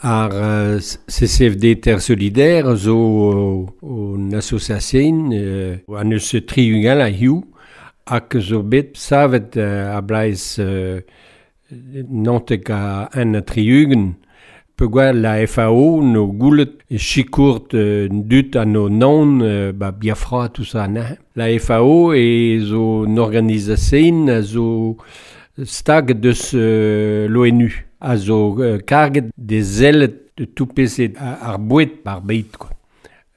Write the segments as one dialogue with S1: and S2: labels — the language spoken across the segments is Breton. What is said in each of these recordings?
S1: Ar CCFD Terre Solidaire zo un association an eus 60 a hiu hag zo bet savet a blaiz nantek a en 60 peogwir la FAO no goulet sikourt dut an o non ba Biafra tout ça na. La FAO e zo un organisation a zo stag deus l'ONU a zo karget de zellet de tout pezh ar boued bar beit quoi.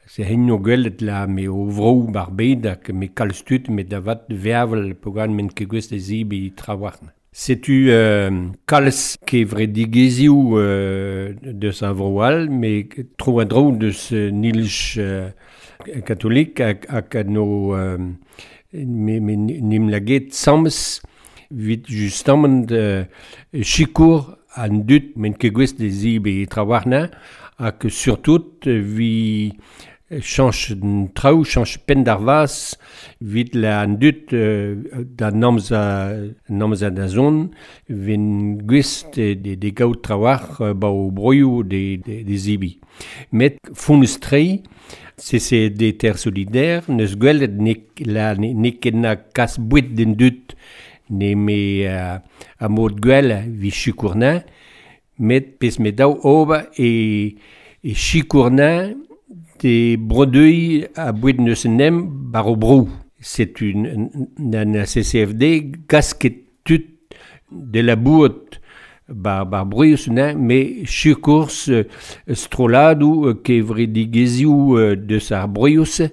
S1: Se hen no gwelet la me o vro bar beit hag me kalz tud me da vat vervel peogwir men ket gwest e zibi trawarn. Setu kalz kevredigezhioù deus a vro all, me tro a dro deus nilch katolik hag no me nim laget sammes vit justement sikour an dut men ket gwest de zibe trawarna hag surtout vi chanch traoù, chanch penn d'ar vaz vit la an dut da namza da zon ven gwest de gaout trawar ba o broioù de zibi. Met founus trei, CCD Terre Solidaire, neus gwelet ne ket na kas bouet den dut ne me a mod gwell vi chikourna, met pez me daou ober e chikourna de brodeuil a bouet neus nem bar o brou. C'est une CCFD gasket tut de la bout bar bruius na, me chikours stroladou kevredigezioù deus ar bruius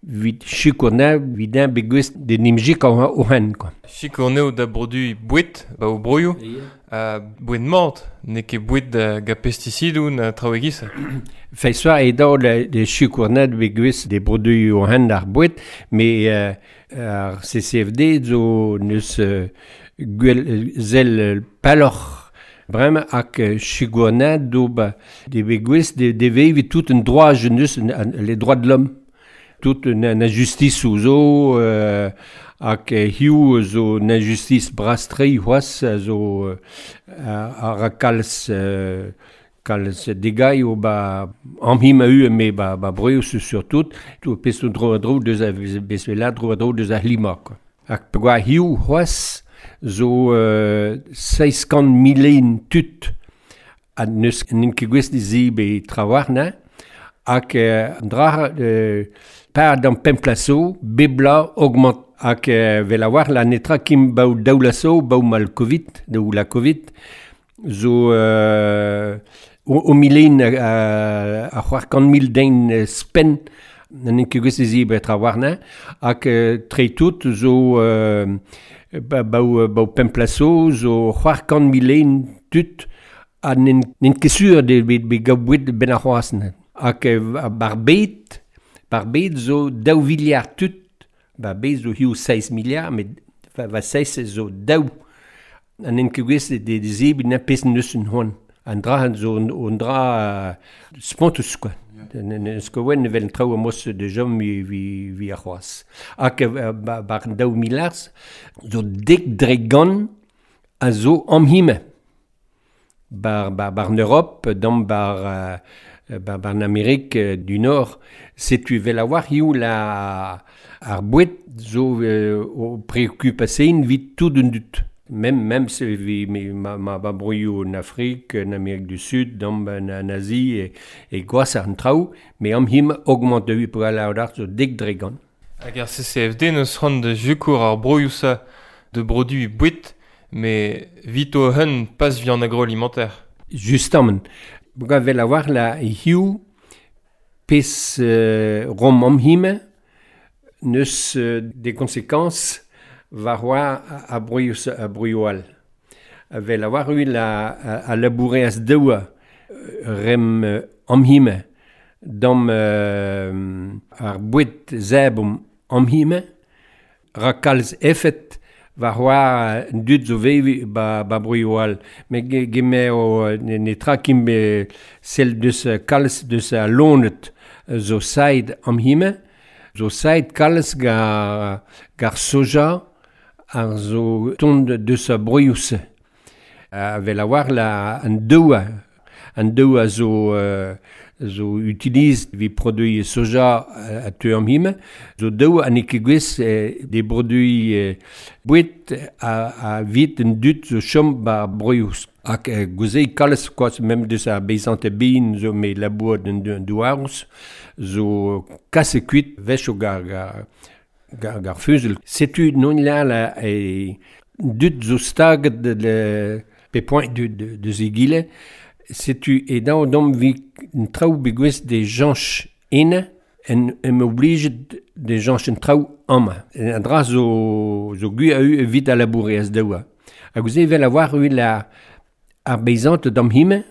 S1: vit chikourna vidin begwest de nimjik o hen quoi.
S2: Chikourneo da produi bouet ba o broioù, bouet mort, ne ket bouet da ga pesticidou na traoù e-giz.
S1: Feisoa e daou de chikourna begwest de produi o hen ar bouet, me ar CCFD zo neus gwell zel paloc'h bremañ hag chikourna do ba de begwest de vevi tout un droit jeunesse, les droits de l'homme. Tout na justice zo hag hiu zo na justice brastrei c'hoazh zo a kalz kalz degai o ba amhim a u me ba breus surtout tout pez dro dro deus a besvela dro dro deus a hlima quoi. Hag peogwir hiu c'hoazh zo 600 milen tud a neus n'int ket gwest zi be trawarna hag an dra par d'an pemplaso, bebla augmente hag vel a war la netra kim baou daoulaso, baou mal Covid, daou la Covid, zo o milen a c'hoar kant mil den spen n'en ket gwest zi be trawarna, hag tre tout zo baou pemplaso, zo c'hoar kant milen tud ha n'en ket sur de be gaou ben ar c'hoazn. Hag bar bet, bar bet zo daou viliard tud, bar bet zo hiu 6 miliard, met va 6 zo daou. An en ket gwest de zebi na pez neus un hoan. An dra zo un dra spontus quoi. Neus ket oen evel traoù a mos de jom vi ar c'hoazh. Hag bar daou miliard zo dek dre gant a zo amhime. Bar en Europe, dam bar bar en Amérique du Nord, setu vel a war hiu la ar bouet zo o préocupasein vit tout un dut. Même se vi ma ba broioù en Afrique, en Amérique du Sud, dam en Asie e gwas ar traoù, me am him augmente de pour la ar zo dek dre gant.
S2: Hag ar CCFD neus c'hoant da jukour ar broioù sa de produit bouet, mais vit o hun pas vi an agroalimentaire.
S1: Justement. Buga vel a war la hiu pez rom am hime neus des conséquences war oa a broioù all. Vel a war ui la a laboure as daoua rem am hime dam ar bouet zeb am hime ra kalz efet war oa dud zo vevi ba broioù all. Me geme o ne tra kim be sel deus kalz deus a lonet zo said am hime, zo said kalz gar soja ar zo tond deus a broioù-se. Vel a war la an daoua. An daou a zo utiliz vi produit soja a teu am hime, zo daou an ket gwez de produit bouet a vit un dut zo chom ba broiouz. Hag gouzei kalz koaz mem deus ar beizante bin zo me labour den douarous zo kasse kuit vech o gar fuzel. Setu non la la e dut zo staget de pe point de zegile. Setu e daou dom vi un traoù begwez de janch ene en em oblijet de janch un traoù amañ. An dra zo gu a eu evit a labourer az daoua. Hag gouze vel a war eu la ar beizante dam hime,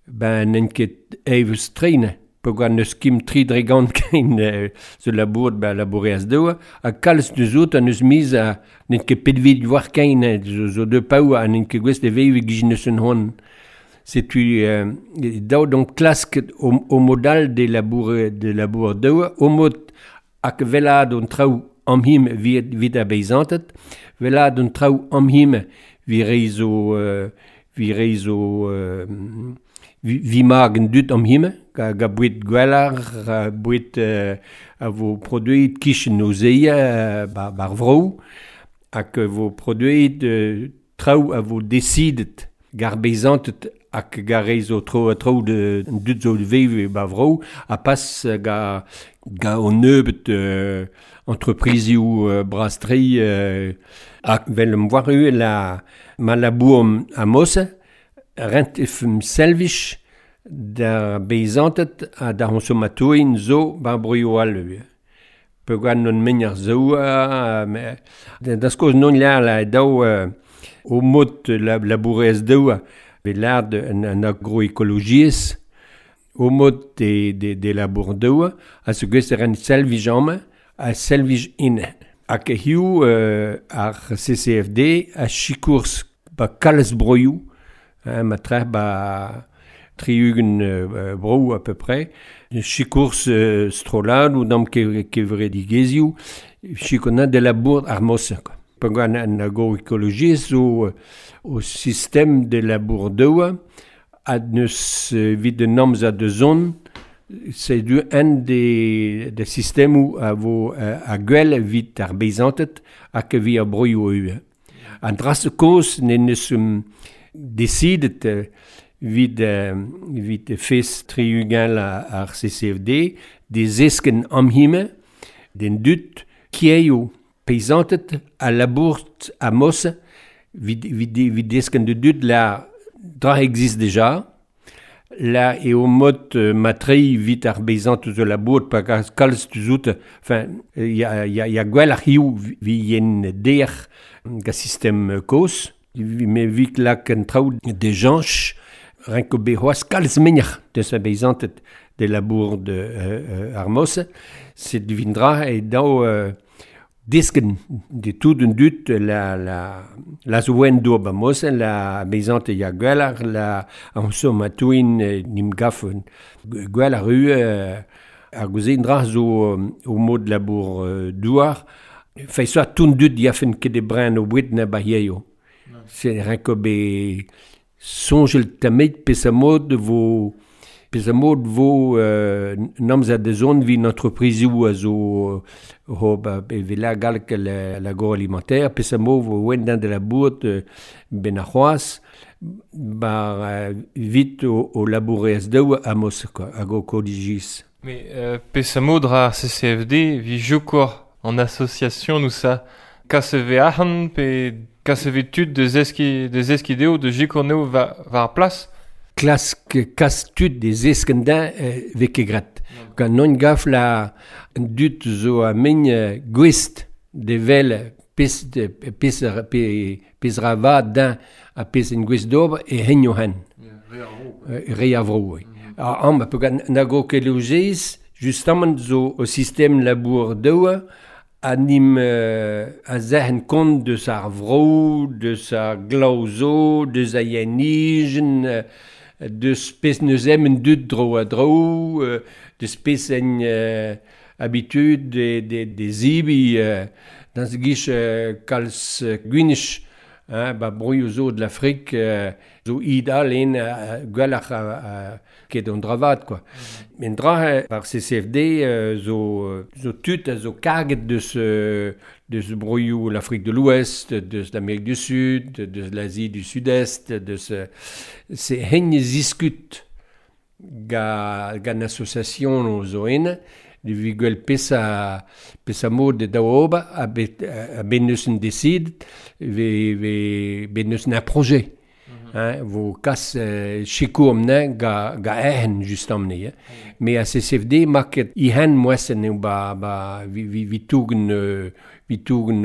S1: ben n'en ket eivus treine, peogwir n'eus kim tri dregant ken zo labour ba labourer az daoua, ha kalz deus out an eus miz a n'en ket petvid war ken zo deux paou ha n'en ket gwez de veiv gijin eus un hon. Setu daou donc klask o modal de labour daoua, o mod hag velad an traoù am him vit ar beizantet, velad an traoù am him vi reizo vi mag en dut am hime, ga bouet gwellar, bouet a vo produit kichen o zeia bar vrou, hag vo produit traoù a vo decidet gar beizantet hag gar reizo tro a traoù de dut zo veve ba vrou, a pas ga o neubet entreprizioù brastri hag vel am war eu la ma labour a mosse, rent efm selvich da beizantet ha da consomatoin zo bar broioù all eu. Peogwir non meñar zo da skoz non la la daou o mod labourez daou bet lard an agroekologiezh o mod de labour daou a se gwez ren selvich amañ a selvich in. Hag hiu ar CCFD a chikours ba kalz broioù, ma treh ba triugen brou à peu près, chikours strolad ou dam kevredigezioù, chikona de labour ar mosse. Peogwir an agroekologiezh zo o système de labour daoua a neus vit un amzer de zon, c'est du un des systèmes a vo a gwell vit ar beizantet hag vi ar broioù eu. An dras koz ne neus decidet vit fes triugen ar CCFD de zesken am hime den dut kieio paysantet a labour a mosse vit desken de dut la dra existe déjà la e o mod matrei vit ar beizant zo labour pa kalz tuzout enfin ya gwell ar hiu vi yen der ga système koz me vit lak en traoù de janch renko be c'hoazh kalz meñar deus a beizantet de labour de ar mosse set vindra e daou disken de tout un dut la zouen dour ba mosse la beizante ya gwell la an somatouin nim gafen gwell ar ru ar gouzein dra zo o mod labour douar fai soa tout dut yafen ket de brin o bouet na ba hieio. C'est renko be sonjel tamet pes a mod vo namz a de zon vi entreprise a zo ho ba vela galk l'agroalimentaire pes a mod vo wen de la bout ben a c'hoaz ba vit o labourez daou a mos quoi hag o kodigis.
S2: Mais pes a mod ra CCFD vi jokor en association nous ça KCV ahan pe KCV tud de zeskideo de jikorneo va ar plas.
S1: Klask kas tud de zeskendin veke grat. Gant non gaf la dut zo a megn gwest de vel pes ra din a pes en gwest d'ober e henyo hen. Re a vro. Am pe gant nago kelogez justement zo o système labour daoua a nim a zehen kont deus ar vro, deus ar glauzo, deus a yenijen, deus pes neus em en dut dro a dro, deus pes en habitude de zibi, dans gich kalz gwinich Hein, ba broioù zo de l'Afrique zo idal en gwelloc'h ket an dravat quoi. Men dra par CCFD zo tud a zo karget deus broioù l'Afrique de l'Ouest, deus l'Amérique du Sud, deus l'Asie du Sud-Est, deus se hen ziskut ga an association zo en de vi gwell pesa mod de daou ober a bet a ben neus en décide ve ben neus un projet. Hein, vo kas sikour amne ga ehen just amne. Hein. Mais a CCFD maket ihan moesen eo ba vi tougen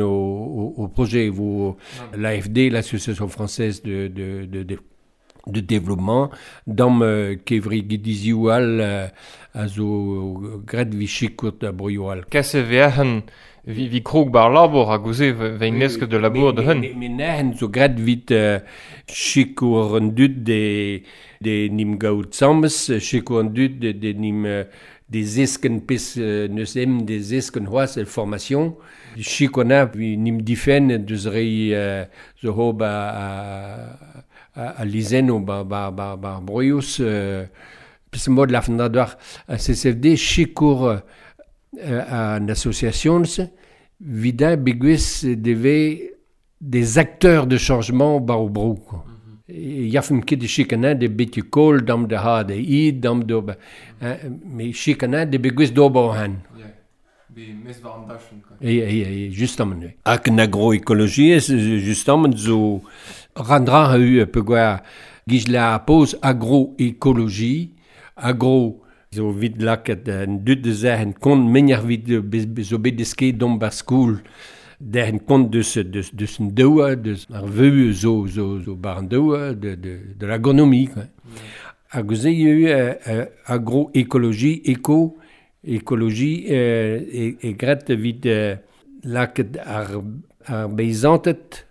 S1: au projet vo l'AFD, l'Association française de développement dam kevri gidizioù all a zo gret vi chikout a broioù all.
S2: Kas e veahen vi krog bar labour a gouze vein nesk de labour de hun.
S1: Me nehen zo gret vit chikour an dud de nim gaout sammes, chikour an dud de nim des esken pes neus em des esken c'hoazh el formation. Chikour na vi nim difen deus rei zo ho ba a lizenno ba broiouz pes mod la fin d'ar a CCFD chikour an association vida begues deve des acteurs de changement ba o bro quoi. Yafem ket de chikanin de bet kol dam de ha de i dam de me chikanin de begues d'ober han.
S2: Be mes war an dachen quoi.
S1: E justement. Hag an agroécologie justement zo randra a eu pe gwa giz la pose agroécologie agro zo vid laket an dud de zehen kont menjer vid zo bet deske dom bar skoul derhen kont deus an doua deus ar veu zo bar an doua de l'agronomie quoi. Hag ze eu agroécologie éco écologie e gret vid laket ar beizantet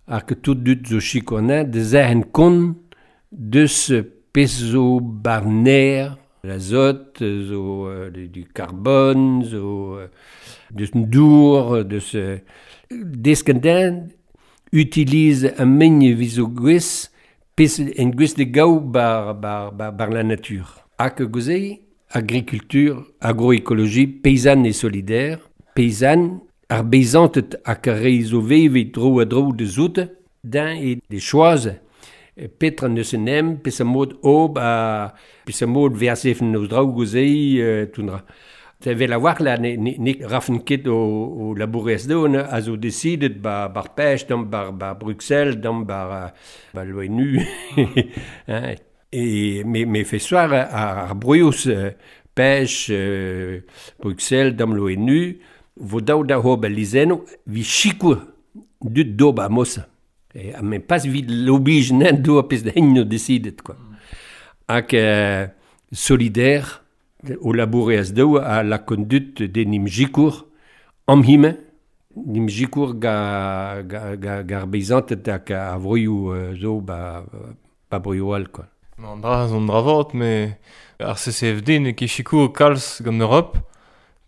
S1: ar ket tout dud zo chikonin de zehen kont deus pez zo bar ner l'azote zo du carbone zo deus an dour deus desken utilise un megne vizo gwez pez en gwez de gaou bar la nature. Hag gouze agriculture, agroécologie, paysanne et solidaire, paysanne, ar beizantet hag ar re zo veve dro a dro de zoute, d'un e de choaz, petra neus en em, pes a mod ob a pes a mod versefen eus draoù gouze toundra. Te vel a war la ne rafen ket o labourez do a zo decidet bar pêche, dam bar Bruxelles, dam bar l'ONU. Hein, et me fait soir ar broiouz pêche Bruxelles, dam l'ONU, vo daou da hob a lizenno, vi chikour dud dob a mosa. E a me pas vid l'oblige nen do a pez da no decidet quoi. Hag solidaire o labourez daou a la conduite de nim jikour am hime nim jikour ga ar beizantet hag a vroioù zo ba broioù all quoi.
S2: An dra zo an dra me ar CCFD ne ket chikour kalz gant Europe,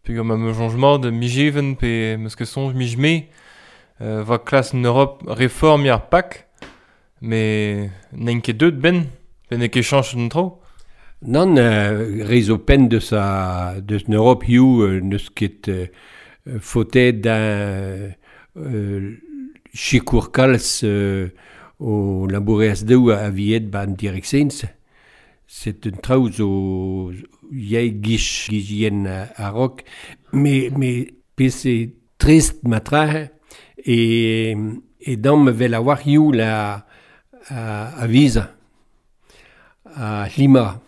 S2: pe gant ma me changement de mijeven pe meus ket sonj mijme va klas en Europe reform ar pak, me n'en ket deut ben, pe ne ket chanch an tro.
S1: Nan, re zo pen deus deus en Europe hiu neus ket faotet d'un chikour kalz o labourez daou a viet ba an direksens. C'est un traoù zo yei gich yen a rok, me pes e trist matra e dam vel a war hiu la a visa a climat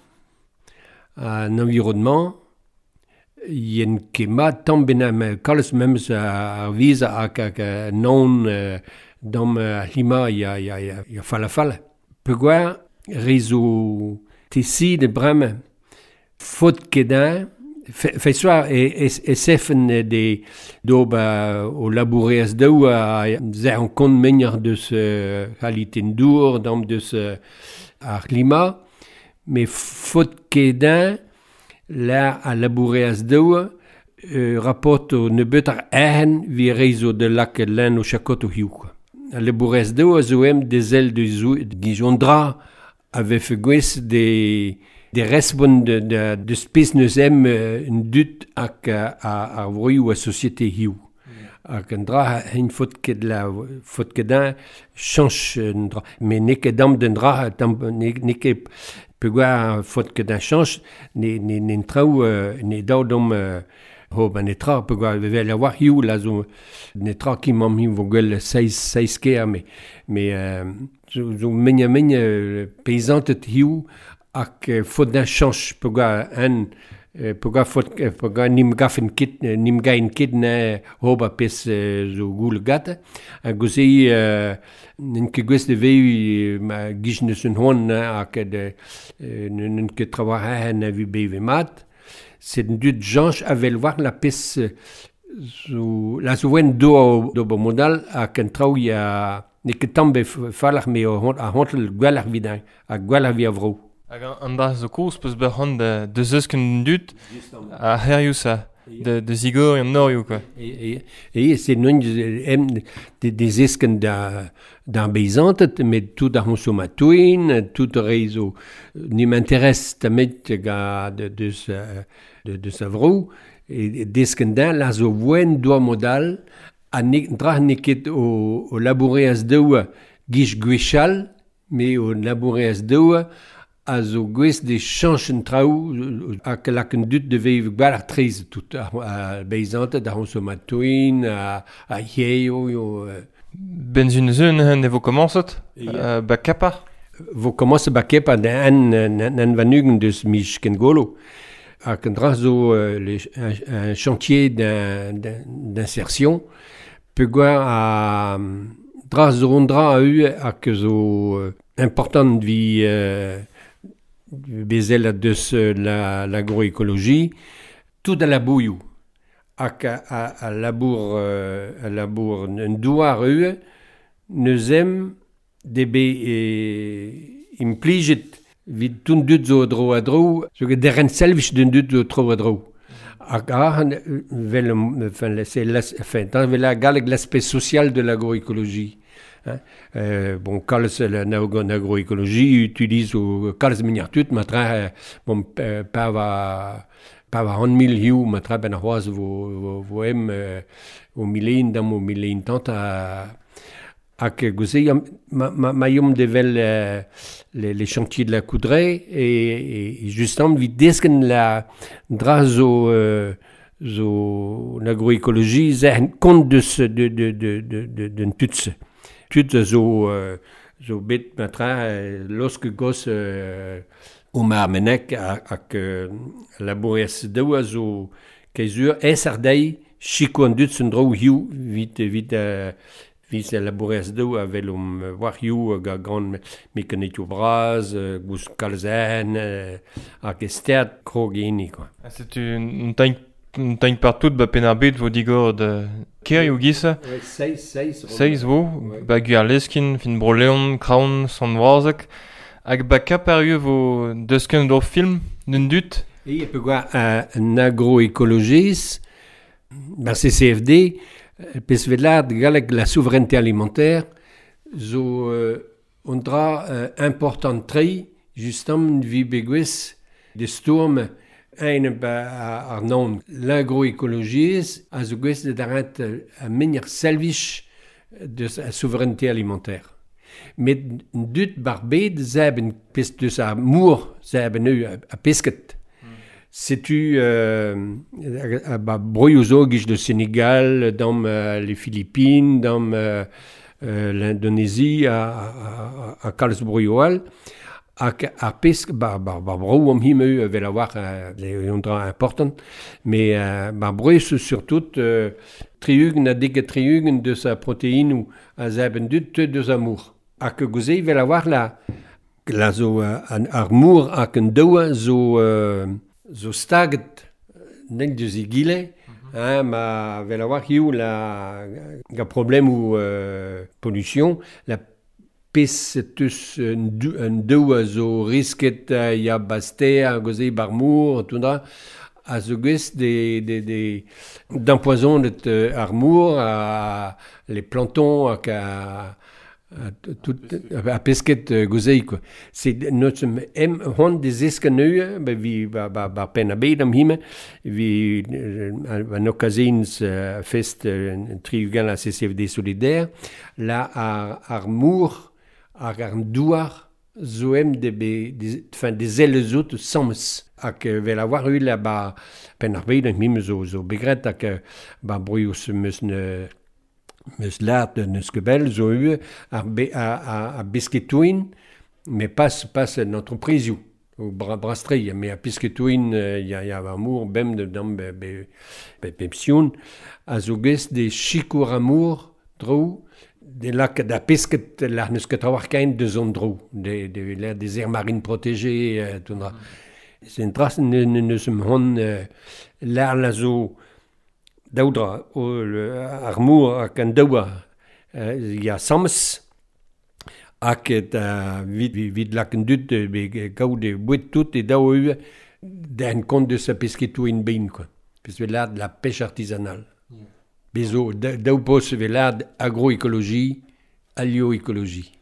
S1: an environnement yen ket mat tamm benam kalz memes ar visa hag non dam a climat ya fall a fall. Peogwir re zo tesi de bremañ faot ket un fe soir e sefen de d'ober o labourez daou a zer an kont menjer deus kalite dour dam deus ar climat me faot ket un la a labourez daou rapport o nebeut ar ehen vi re zo de lak len o chakot o hiu quoi. A labourez deo a zo em dezel de zo gijon dra a vefe gwez de respont de spes neus em un dut hag ar vroioù a société hiu. Hag an dra hen fot ket la fot ket un chanch un dra. Mais n'eo ket dam d'un dra tam n'eo ket peogwir fot ket un chanch ne traoù ne daou dom ho ba netra peogwir vevel a war hiu la zo netra ki mamm hiu vo gwell seiz ker mais zo megna megna paysantet hiu hag fot d'un chanch peogwir un peogwir fot peogwir nim gafen ket nim gain ket na hoba pes zo goul gat ha gouze n'en ket gwez de veu ma gij neus un hon hag de n'en ket traoù na vi beve mat. C'est un dut janch avel war la pes zo la zo wen do do bo modal hag an traoù ya ne ket tamm be falac'h me a hontel gwelloc'h vid ha gwelloc'h vi a vro.
S2: Hag an dra zo koz peus bet c'hoant da zeusken dut a herioù sa, de zigor an norioù quoi.
S1: Et c'est non em de zesken da d'ar beizantet, met tout ar consomatoin, tout re zo ni m'intéresse tamet ga de sa vro, et desken da la zo voen doa modal a ne dra ne ket o labourer az daou gij gwechall, me o labourer az daou a zo gwez de chanch en traoù hag lak un dut de vev gwell ar treiz tout a beizantet, ar consomatoin, a hieio yo.
S2: Benzun zeun hen e vo komañset ba kapar?
S1: Vo komañset ba kapar da an vanugen deus mij ken golo. Hag an dra zo un chantier d'insertion peogwir a dra zo an dra a eu hag zo important vi bezel a deus l'agroécologie tout a labouioù hag a labour un douar eu neus em de be implijet vid tout dut zo dro a dro zo ket deren selvich d'un dut zo tro a dro. Hag a vel enfin c'est enfin dans la galleg l'aspect social de l'agroécologie. Hein? Bon, kalz l'agroécologie utilise o kalz meniar tut, matra bon pa va an mil hiu, matra ben ar c'hoaz vo em o milein dam o milein tant a hag gouze ma yom devel les chantiers de la Coudraye et justement vid desken la dra zo zo l'agroécologie ze kont deus de d'un tutse. Tut zo zo bet matra losk gos o ma menek hag labourez daou a zo keizur es ar dei chiko an dut un dro hiu vit vis labourez daou a vel om war hiu hag gant mekanetioù braz, gouz kalzen, hag estert krog hini, quoi.
S2: Ha setu un taign partout ba penn ar bed vo digor de kerioù gisa.
S1: Ouais, seiz.
S2: Seiz vo, ba Gwerleskin, fin Bro-Leon, Kraon, Sant-Vorzeg, hag ba Kaparieu vo deusken d'ur film d'un dut.
S1: E peogwir un agroécologiste, ba CCFD, pes vet galleg la souveraineté alimentaire, zo un dra important tre, justement vi begwez de stourm ein ba ar non. L'agroécologie a zo gwez de darant a meniar selvich de a souveraineté alimentaire. Met dut bar bed zeben pes deus a mour zeben eu a pesket. Setu ba broioù zo gij de Sénégal, dam les Philippines, dam l'Indonésie a kalz broioù all. Hag ar pesk, ba bro am him eu vel a war un dra important, mais ba broioù surtout triugen a deg triugen deus a protéinou a zeben dut deus a mour. Hag gouze vel a war la zo an ar mour hag an daoua zo staget nek deus egile, hein, ma vel a war hiu la ga problem ou pollution, la pes teus un daou a zo risket ya baster, a goze bar mour, tout dra, a zo gwez de d'empoisonnet ar mour, a les plantons hag a Tout a pesket gozei quoi. C'est notre em hon des eskaneu ba vi ba ba ba pen a bet am hime vi an occasions fest triugan la CCFD solidaire la ar ar mour ar ar douar zo em de be des enfin des ailes out sams hag vel a war ul ba pen ar bet am hime zo zo begret hag ba broius meus ne meus lart neus ket bell zo ue ar, be, a, a, a besketouin, mais pas, pas en entreprisioù, o bra, brastri, mais a pesketouin ya, ya amour bem de dam be, be, be pepsion, a zo gest de chikour amour dro, de lak da pesket lar neus ket war kain de zon dro, de, de, de, des aires marines protégées, tout dra. C'est une trace ne, ne, neus em hon lar la zo daoudra o ar mour hag an daoua ya sams hag et vid, vid lak an dud be gaout e bouet tout e daou ue den kont de sa pesketou in bein quoi. Pes ve lad la pêche artisanale. Bezo daou pos ve lad agroécologie, alioécologie.